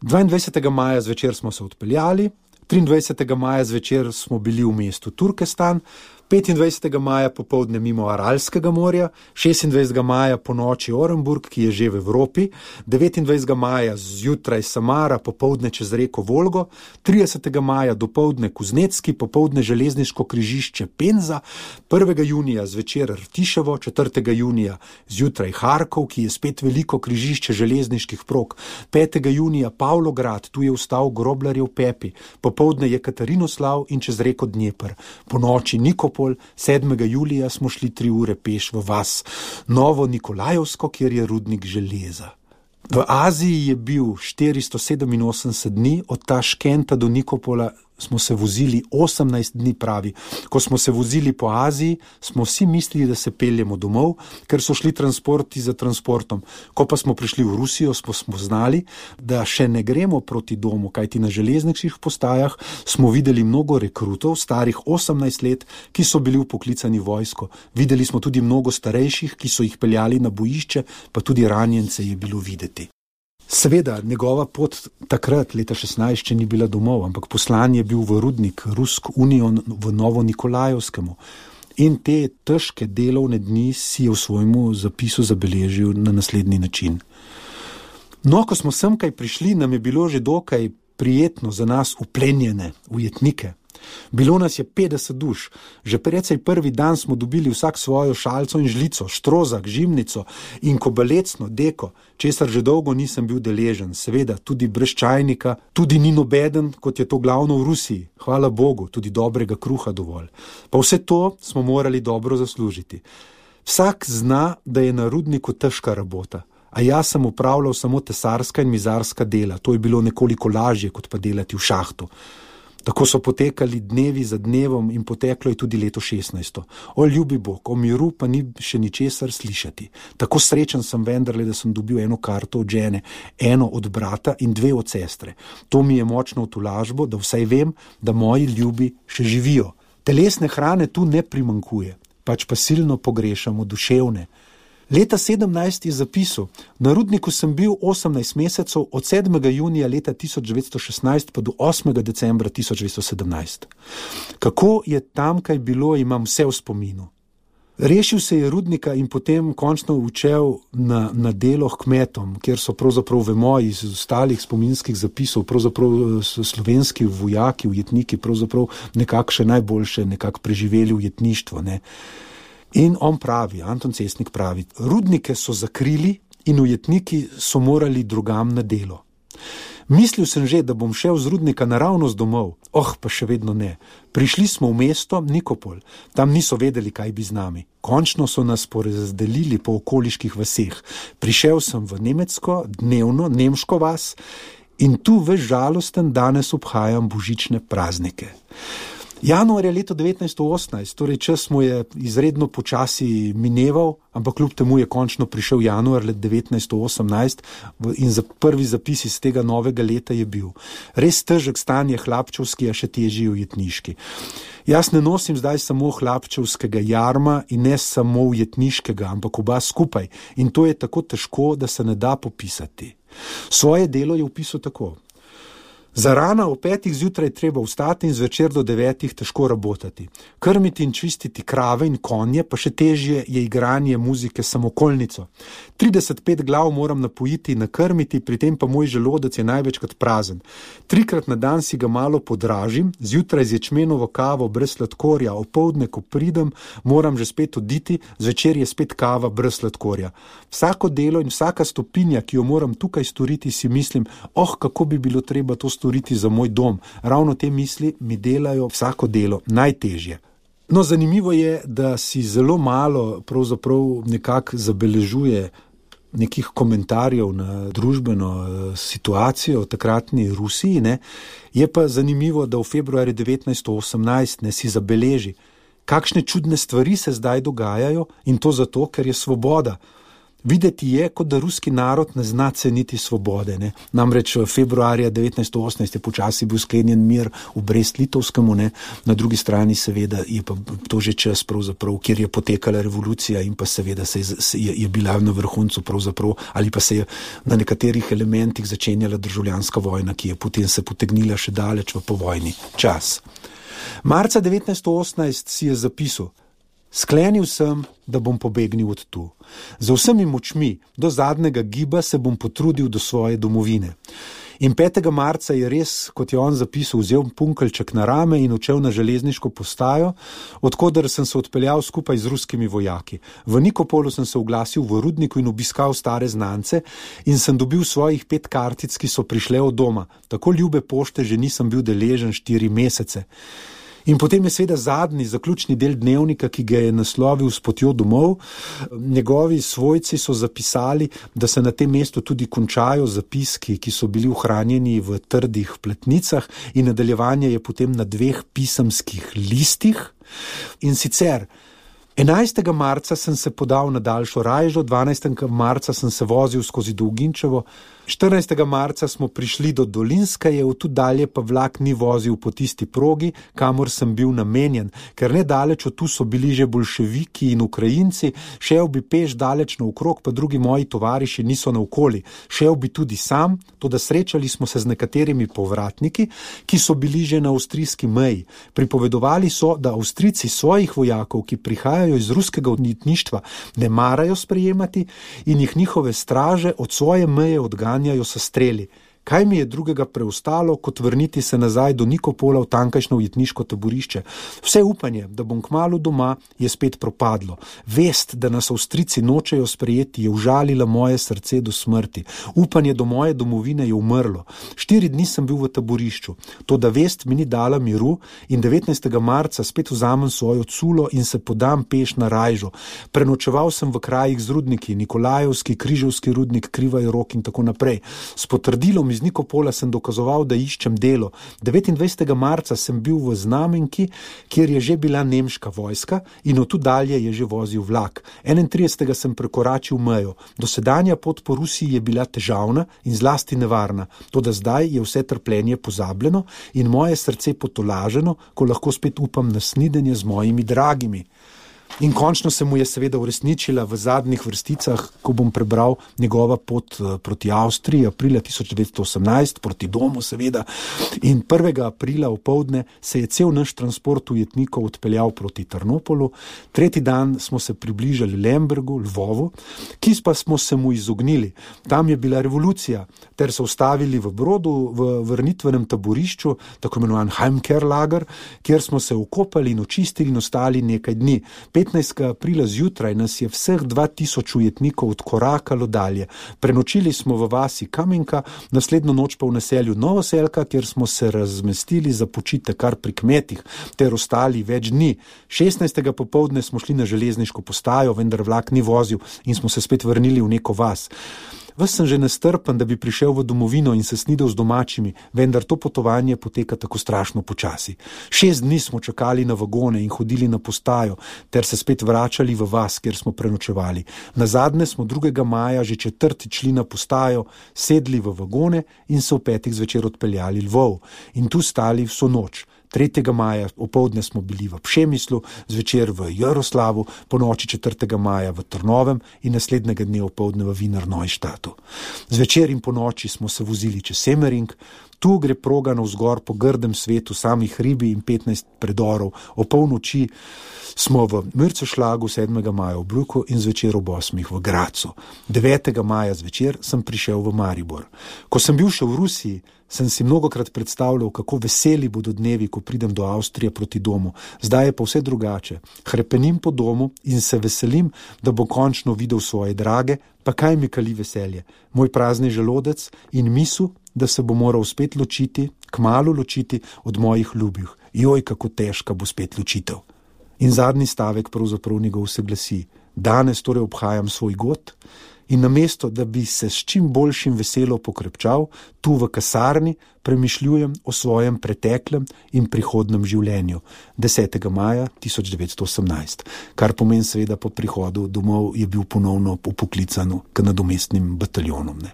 Speaker 3: 22. maja zvečer smo se odpeljali, 23. maja zvečer smo bili v mestu Turkestan, 25. maja popoldne mimo Aralskega morja, 26. maja po noči Orenburg, ki je že v Evropi, 29. maja zjutraj Samara, popoldne čez reko Volgo, 30. maja dopoldne Kuznecki, popoldne železniško križišče Penza, 1. junija zvečer Rtiševo, 4. junija zjutraj Harkov, ki je spet veliko križišče železniških prog, 5. junija Pavlograd, tu je vstal Groblarjev Pepi, popoldne je Katarinoslav in čez reko Dnjepr, po noči Nikopol, 7. julija smo šli 3 ure peš v vas Novo Nikolajevsko, kjer je rudnik železa. V Aziji je bil 487 dni, od Taškenta do Nikopola smo se vozili 18 dni, pravi. Ko smo se vozili po Aziji, smo vsi mislili, da se peljemo domov, ker so šli transporti za transportom. Ko pa smo prišli v Rusijo, smo znali, da še ne gremo proti domu, kajti na železniških postajah smo videli mnogo rekrutov, starih 18 let, ki so bili vpoklicani v vojsko. Videli smo tudi mnogo starejših, ki so jih peljali na bojišče, pa tudi ranjence je bilo videti. Seveda, njegova pot takrat, leta 16, še ni bila domov, ampak poslan je bil v rudnik Rusk Union v Novo Nikolajevskemu. In te težke delovne dni si je v svojemu zapisu zabeležil na naslednji način. No, ko smo semkaj prišli, nam je bilo že dokaj prijetno za nas uplenjene ujetnike. Bilo nas je 50 duš. Že precej prvi dan smo dobili vsak svojo šalco in žlico, štrozak, žimnico in kobalecno, deko, česar že dolgo nisem bil deležen. Seveda, tudi brez čajnika, tudi ni nobeden, kot je to glavno v Rusiji. Hvala Bogu, tudi dobrega kruha dovolj. Pa vse to smo morali dobro zaslužiti. Vsak zna, da je na rudniku težka rabota. A jaz sem upravljal samo tesarska in mizarska dela. To je bilo nekoliko lažje, kot pa delati v šahtu. Tako so potekali dnevi za dnevom in poteklo je tudi leto 16. O ljubi Bog, o miru pa ni še ničesar slišati. Tako srečen sem vendarle, da sem dobil eno karto od žene, eno od brata in 2 od sestre. To mi je močno utolažbo, da vsaj vem, da moji ljubi še živijo. Telesne hrane tu ne primanjkuje, pač pa silno pogrešamo duševne. Leta 17 je zapisal, na rudniku sem bil 18 mesecev, od 7. junija leta 1916 pa do 8. decembra 1917. Kako je tamkaj bilo, imam vse v spominu. Rešil se je rudnika in potem končno učel na delo kmetom, kjer so pravzaprav, vemo iz ostalih spominskih zapisov, pravzaprav slovenski vojaki, ujetniki, pravzaprav nekako še najboljše preživeli ujetništvo, In on pravi, Anton Cestnik pravi, rudnike so zakrili in ujetniki so morali drugam na delo. Mislil sem že, da bom šel z rudnika naravnost domov, pa še vedno ne. Prišli smo v mesto Nikopol, tam niso vedeli, kaj bi z nami. Končno so nas porazdelili po okoliških vaseh. Prišel sem v nemecko, dnevno, nemško vas in tu ves žalosten danes obhajam božične praznike. Januar je leto 1918, torej čas mu je izredno počasi mineval, ampak kljub temu je končno prišel januar let 1918 in prvi zapis iz tega novega leta je bil. Res težek stan je hlapčevski, a še težji ujetniški. Jaz ne nosim zdaj samo hlapčevskega jarma in ne samo ujetniškega, ampak oba skupaj. In to je tako težko, da se ne da popisati. Svoje delo je opisal tako. Zarana o 5 zjutraj treba vstati in zvečer do 9 težko rabotati. Krmiti in čistiti krave in konje, pa še težje je igranje muzike samokolnico. 35 glav moram napojiti in nakrmiti, pri tem pa moj želodec je največkrat prazen. 3krat na dan si ga malo podražim, zjutraj z ječmenovo kavo brez sladkorja, opoldne, ko pridem, moram že spet oditi, zvečer je spet kava brez sladkorja. Vsako delo in vsaka stopinja, ki jo moram tukaj storiti, si mislim, kako bi bilo treba to storiti za moj dom. Ravno te misli mi delajo vsako delo najtežje. No, zanimivo je, da si zelo malo pravzaprav nekako zabeležuje nekih komentarjev na družbeno situacijo v takratni Rusiji, ne. Je pa zanimivo, da v februarju 1918 si zabeleži, kakšne čudne stvari se zdaj dogajajo, in to zato, ker je svoboda. Videti je, kot da ruski narod ne zna ceniti svobode. Ne. Namreč februarja 1918 je počasi bil sklenjen mir v Brest-Litovskemu, ne. Na drugi strani seveda je pa to že čas pravzaprav, kjer je potekala revolucija in pa seveda je bila na vrhuncu pravzaprav, ali pa se je na nekaterih elementih začenjala državljanska vojna, ki je potem se potegnila še daleč v povojni čas. Marca 1918 si je zapisal: sklenil sem, da bom pobegnil od tu. Z vsemi močmi, do zadnjega giba se bom potrudil do svoje domovine. In 5. marca je res, kot je on zapisal, vzel punkeljček na rame in odšel na železniško postajo, odkoder sem se odpeljal skupaj z ruskimi vojaki. V Nikopolu sem se oglasil v rudniku in obiskal stare znance in sem dobil svojih 5 kartic, ki so prišle od doma. Tako ljube pošte že nisem bil deležen 4 mesece. In potem je seveda zadnji, zaključni del dnevnika, ki ga je naslovil S potjo domov. Njegovi svojci so zapisali, da se na tem mestu tudi končajo zapiski, ki so bili ohranjeni v trdih pletnicah, in nadaljevanje je potem na 2 pisemskih listih. In sicer 11. marca sem se podal na daljšo rajžo, 12. marca sem se vozil skozi Dolginčevo, 14. marca smo prišli do Dolinskaje, od tu dalje pa vlak ni vozil po tisti progi, kamor sem bil namenjen, ker nedaleč od tu so bili že boljševiki in Ukrajinci, šel bi peš daleč naokrog, pa drugi moji tovariši niso naokoli. Šel bi tudi sam, toda srečali smo se z nekaterimi povratniki, ki so bili že na avstrijski meji. Pripovedovali so, da Avstrijci svojih vojakov, ki prihajajo iz ruskega odjetništva, ne marajo sprejemati in jih njihove straže od svoje meje odganjajo s streli. Kaj mi je drugega preostalo, kot vrniti se nazaj do Nikopola v tamkajšnjo ujetniško taborišče? Vse upanje, da bom kmalu doma, je spet propadlo. Vest, da nas Avstrijci nočejo sprejeti, je užalila moje srce do smrti. Upanje do moje domovine je umrlo. 4 dni sem bil v taborišču. Toda vest mi ni dala miru in 19. marca spet vzamem svojo culo in se podam peš na rajžo. Prenočeval sem v krajih z rudniki, Nikolajevski, Križevski rudnik, Krivaj Rok in tako naprej. S potrdilom iz Nikopola sem dokazoval, da iščem delo. 29. marca sem bil v Znamenki, kjer je že bila nemška vojska in od tu dalje je že vozil vlak. 31. sem prekoračil mejo. Dosedanja pot po Rusiji je bila težavna in zlasti nevarna. Toda zdaj je vse trpljenje pozabljeno in moje srce potolaženo, ko lahko spet upam na snidenje z mojimi dragimi. In končno se mu je seveda uresničila v zadnjih vrsticah, ko bom prebral njegova pot proti Avstriji, aprila 1918, proti domu seveda. In 1. aprila opoldne se je cel naš transport ujetnikov odpeljal proti Trnopolu. 3. dan smo se približali Lembergu, Lvovu, ki pa smo se mu izognili. Tam je bila revolucija, ter se ustavili v Brodu, v vrnitvenem taborišču, tako imenovan Heimkehrlager, kjer smo se okopali in očistili in ostali nekaj dni. 15. aprila zjutraj nas je vseh 2000 ujetnikov odkorakalo dalje. Prenočili smo v vasi Kamenka, naslednjo noč pa v naselju Novoselka, kjer smo se razmestili za počitek kar pri kmetih, ter ostali več dni. 16. popoldne smo šli na železniško postajo, vendar vlak ni vozil in smo se spet vrnili v neko vas. Ves sem že nestrpen, da bi prišel v domovino in se snidel z domačimi, vendar to potovanje poteka tako strašno počasi. 6 dni smo čakali na vagone in hodili na postajo, ter se spet vračali v vas, kjer smo prenočevali. Nazadnje smo 2. maja že 4. šli na postajo, sedli v vagone in se v 5. zvečer odpeljali Lvov. In tu stali vso noč. 3. maja opoldne smo bili v Pšemislu, zvečer v Jaroslavu, po noči 4. maja v Trnovem in naslednjega dne opoldne v Wiener Neustadtu. Zvečer in po noči smo se vozili čez Semmering, Tu gre proga navzgor po grdem svetu, samih hribi in 15 predorov. O polnoči smo v Mürzeschlagu 7. maja v Bruku in zvečer ob 8. v Gracu. 9. maja zvečer sem prišel v Maribor. Ko sem bil še v Rusiji, sem si mnogokrat predstavljal, kako veseli bodo dnevi, ko pridem do Avstrije proti domu. Zdaj je pa vse drugače. Hrepenim po domu in se veselim, da bo končno videl svoje drage, pa kaj mi kali veselje. Moj prazni želodec in misel, da se bo moral spet ločiti, kmalu ločiti od mojih ljubih. Joj, kako težka bo spet ločitev. In zadnji stavek pravzaprav njegov se glasi: danes torej obhajam svoj god in namesto, da bi se s čim boljšim veselo pokrepčal, tu v kasarni premišljujem o svojem preteklem in prihodnem življenju. 10. maja 1918, kar pomeni seveda po prihodu domov je bil ponovno upoklican k nadomestnim bataljonom. Ne.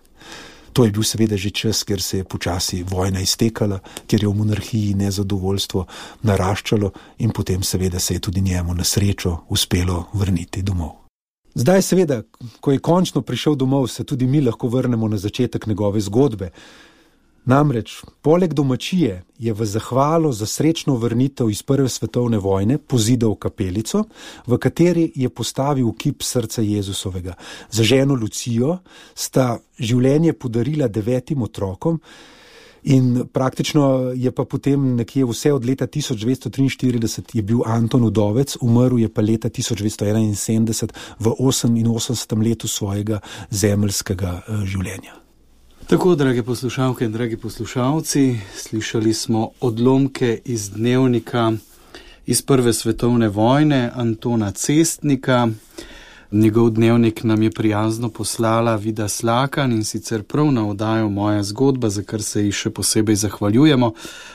Speaker 3: To je bil seveda že čas, ker se je počasi vojna iztekala, ker je v monarhiji nezadovoljstvo naraščalo in potem seveda se je tudi njemu na srečo uspelo vrniti domov. Zdaj seveda, ko je končno prišel domov, se tudi mi lahko vrnemo na začetek njegove zgodbe. Namreč, poleg domačije je v zahvalo za srečno vrnitev iz Prve svetovne vojne pozidal kapelico, v kateri je postavil kip srca Jezusovega. Za ženo Lucijo sta življenje podarila 9 otrokom in praktično je pa potem nekje vse od leta 1943 je bil Anton udovec, umrl je pa leta 1971 v 88. letu svojega zemeljskega življenja.
Speaker 2: Tako, drage poslušalke in dragi poslušalci, slišali smo odlomke iz dnevnika iz Prve svetovne vojne Antona Cestnika. Njegov dnevnik nam je prijazno poslala Vida Slakan in sicer prav na oddajo Moja zgodba, za kar se ji še posebej zahvaljujemo.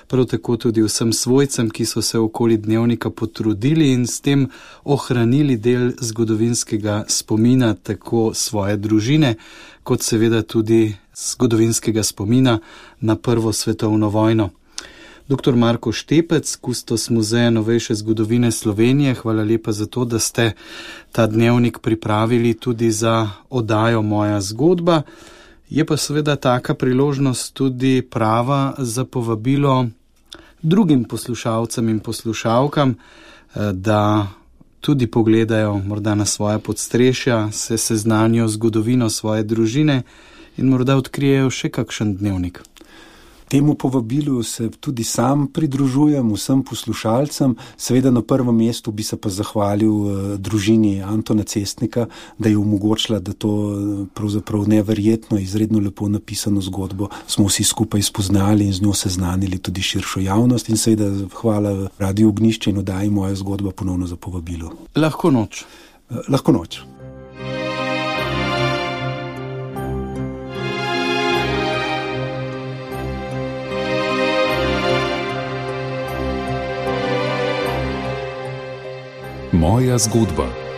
Speaker 2: Prav tako tudi vsem svojcem, ki so se okoli dnevnika potrudili in s tem ohranili del zgodovinskega spomina tako svoje družine, kot seveda tudi zgodovinskega spomina na Prvo svetovno vojno. Dr. Marko Štepec, kustos Muzeja novejše zgodovine Slovenije, hvala lepa za to, da ste ta dnevnik pripravili tudi za oddajo Moja zgodba. Je pa seveda taka priložnost tudi prava za povabilo drugim poslušalcem in poslušalkam, da tudi pogledajo morda na svoja podstrešja, se seznanijo zgodovino svoje družine in morda odkrijejo še kakšen dnevnik.
Speaker 3: Temu povabilu se tudi sam pridružujem vsem poslušalcem. Seveda na prvem mestu bi se pa zahvalil družini Antona Cestnika, da je omogočila, da to pravzaprav neverjetno, izredno lepo napisano zgodbo smo vsi skupaj spoznali in z njo seznanili tudi širšo javnost. In seveda hvala Radiu Ognjišče in oddaji Moja zgodba ponovno za povabilo.
Speaker 2: Lahko noč.
Speaker 3: Lahko noč.
Speaker 1: Moja zgodba.